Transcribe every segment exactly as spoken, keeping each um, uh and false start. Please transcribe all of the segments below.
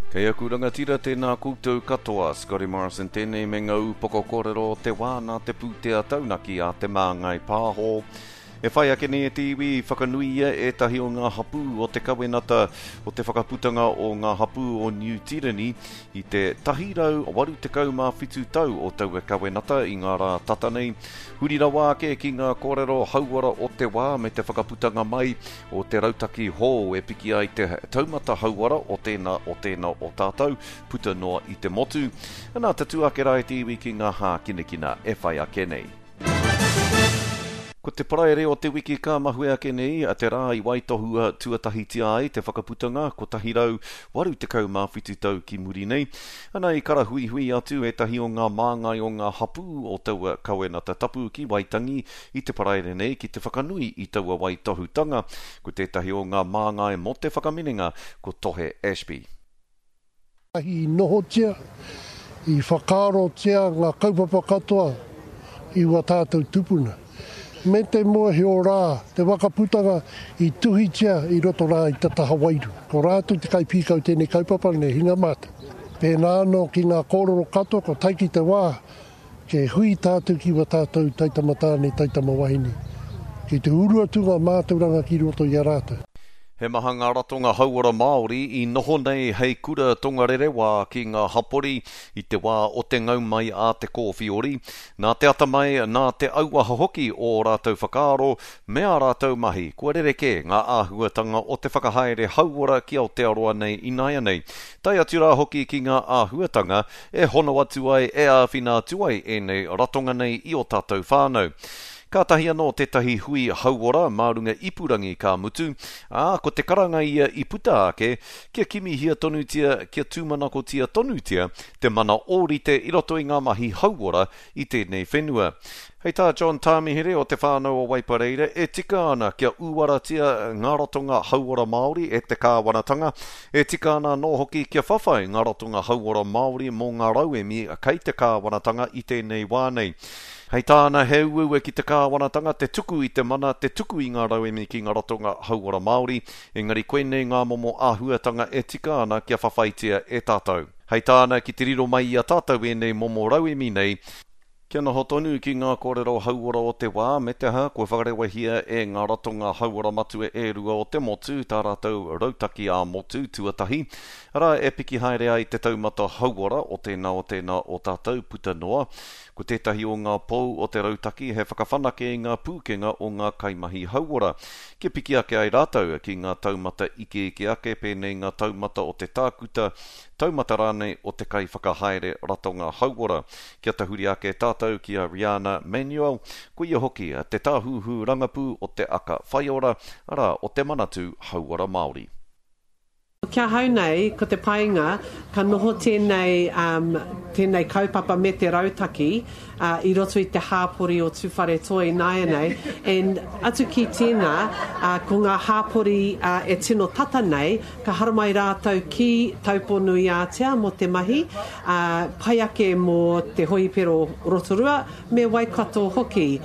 Kei aku rangatira tēnā koutou katoa, Scotty Morrison tēnei me ngā upoko kōrero o te wā nā te pūtea taunaki a Te Māngai Pāho. E whai ake nei e te iwi i whakanuia ētahi o ngā hapū o te kawenata o te whakaputanga o ngā hapū o Niu Tīreni i te tahi rau waru tekau mā whitu tau o taua kawenata i ngā rā tata nei. Huri rawa ake ki ngā kōrero hauora o te wā me te whakaputanga mai o te rautaki hou e piki ai te taumata hauora o tēnā o tēnā o tātou puta noa i te motu. Nā, tatū ake rā e te iwi ki ngā hākinakina e whai ake nei. Ko te Paraire o te wiki ka mahue ake nei, te rā i waitohua tuatahitia ai te whakaputanga kotahi rau waru tekau mā whitu tau ki muri nei. Ana i karahuihui atu ētahi o ngā māngai o ngā hapū o taua kawenata tapu ki Waitangi i te Paraire nei ki te whakanui i taua waitohutanga. Ko tētahi o ngā māngai mō te whakaminenga ko Tohe Ashby. I nohotia, i whakaarotia ngā kaupapa katoa i wā tātou tupuna. Me te mōhio rā, te whakaputanga i tuhitia i roto rā i te taha wairua. Ko rātou te kaipīkau tēnei kaupapa nei, hinga mātou. Pēnā anō ki ngā kōrero katoa, ko tae ki te wā, ke hui tātou ki wā tātou taitama tāne, taitama wahine. Ki te uru atu ngā mātauranga ki roto i a rātou. He maha ngā ratonga hauora Māori i noho nei hei kura tongarerewā ki ngā hapori i te wā o te ngau mai a te kōwhiori. Nā te atamai, nā te auaha hoki o ō rātou whakaaro me ā rātou mahi, kua rerekē ngā āhuatanga o te whakahaere hauora ki Aotearoa nei ināianei. Tae atu rā hoki ki ngā āhuatanga e hono atu ai, e āwhina atu ai ēnei ratonga nei i ō tātou whānau. Kātahi anō tētahi hui hauora mā runga ipurangi ka mutu, ā, ko te karanga ia i puta ake kia kimihia tonutia, kia tūmanakotia tonutia te mana ōrite i roto i ngā mahi hauora i tēnei whenua. Hei tā John Tāmihere o Te Whānau o Waipareira, e tika ana kia uaratia ngā ratonga hauora Māori e te kāwanatanga, e tika ana anō hoki kia whawhai ngā ratonga hauora Māori mō ngā rauemi kei te kāwanatanga i tēnei wā nei. Hei tāna, he uaua ki te kāwanatanga te tuku i te mana, te tuku i ngā rauemi ki ngā ratonga hauora Māori, engari koinei ngā momo āhuatanga e tika ana kia whawhaitia e tātou. Hei tāna, ki te riro mai i a tātou ēnei momo rauemi nei, kia noho tonu ki ngā kōrero hauora o te wā, me te aha, kua whakarewahia e ngā ratonga hauora matua e rua o te motu tā rātou rautaki ā-motu tuatahi, arā e piki haere ai te taumata hauora o tēnā o tēnā o tātou puta noa. Ko tētahi o ngā pou o te rautaki he whakawhanake i ngā pūkenga o ngā kaimahi hauora, kia piki ake ai rātou ki ngā taumata ikeike ake pēnei ngā taumata o te tākuta, taumata rānei o te kaiwhakahaere ratonga hauora. Kia tahuri ake tātou ki a Riana Manuel, ko ia hoki te tāhuhu rangapū o te Aka Whaiora, arā, o te Manatū Hauora Māori. Kia hau nei, ko te painga, ka noho tēnei, um, tēnei kaupapa me te rautaki, uh, i roto i te hāpori o Tūwharetoa ināianei. And atu ki tēnā, uh, ko ngā hāpori, uh, e tino tata nei, ka haramai rātou ki Taupō-nui-ātea mō te mahi, uh, pai ake mō te hoipero Rotorua me Waikato hoki.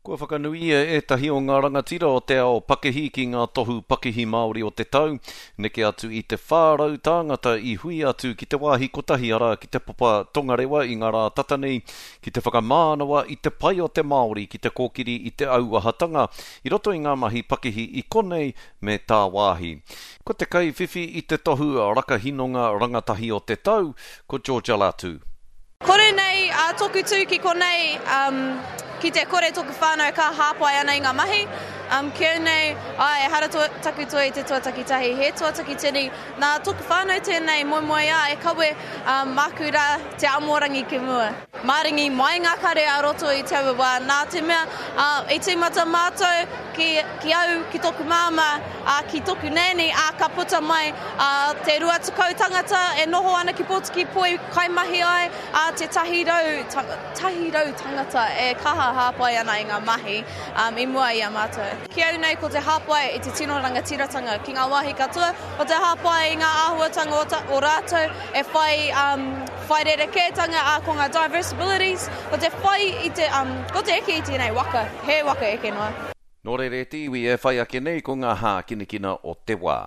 Kua whakanuia ētahi o ngā rangatira o te ao pakihi ki ngā tohu pakihi Māori o te tau, neke atu i te whā rau tāngata i hui atu ki te wāhi kotahi arā ki te Papa Tongarewa i ngā rā tata nei, ki te whakamānawa i te pai o te Māori ki te kōkiri i te auahatanga i roto i ngā mahi pakihi i konei me tāwāhi. Ko te kaiwhiwhi i te tohu rakahinonga rangatahi o te tau, ko Georgia Latu. Kore nei a toku tū ki konei, um, ki te kore toku whānau ka hāpai ana i ngā mahi. Um, ki au nei, ai, ehara to, taku toi i te tuataki tahi, he tuataki tini. Nā toku whānau tēnei moemoeā e kawe, um, māku rā te amorangi ki mua. Māringi mai ngā kare a roto i taua wā. Nā te mea, uh, i tīmata mātou ki, ki au, ki toku māmā, uh, ki toku nēni, ā, ka puta mai, uh, te rua tekau tangata e noho ana ki Pōtiki Poi kaimahi ai, ā, te tahi rau, ta, tahi rau tangata e kaha hāpai ana i ngā mahi, um, i mua i a mātou. Ki au nei ko te hāpai i te tino rangatiratanga ki ngā wāhi katoa, ko te hāpai i ngā āhuatanga o, ta, o rātou e whai, um, whai rerekētanga, ā, ko ngā diversibilities, ko te whai i te, um, ko te eke i tēnei waka, he waka eke noa. Nō reira e te iwi e whai ake nei ko ngā hākinakina o te wā.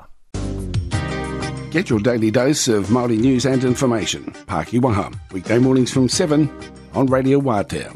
Get your daily dose of Māori news and information. Pākiwaha, weekday mornings from seven on Radio Wātea.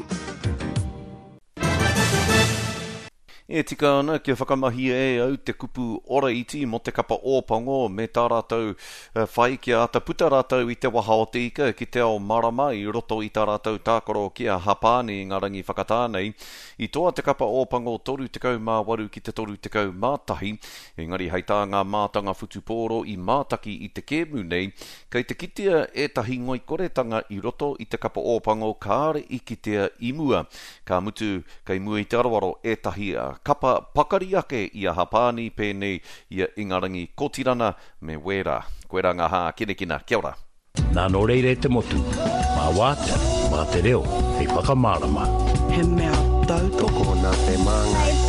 E tika ana kia whakamahi e au te kupu ora iti mō te kapa Ōpango me tā rātou whai kia ata puta rātou i te waha o te ika ki te ao marama i roto i tā rātou tākaro ki a Hapani i ngā rangi whakatā nei. I toa te kapa Ōpango toru tekau mā waru ki te toru tekau mā tahi, engari hei tā ngā mātanga whutupōro i mātaki i te kēmu nei, kei te kitea ētahi ngoikoretanga i roto i te kapa Ōpango kāre i kitea i mua. Ka mutu, kei mua i te aroaro ētahi kapa pakari ake i a Hapani pēnei i a Ingarangi Kotirana me Wēra. Koe rā ngā hā kinekina. Kia ora. Nā nō reire te motu, mā wātea, mā te reo, hei whakamārama. He mea tautoko nā te māngai.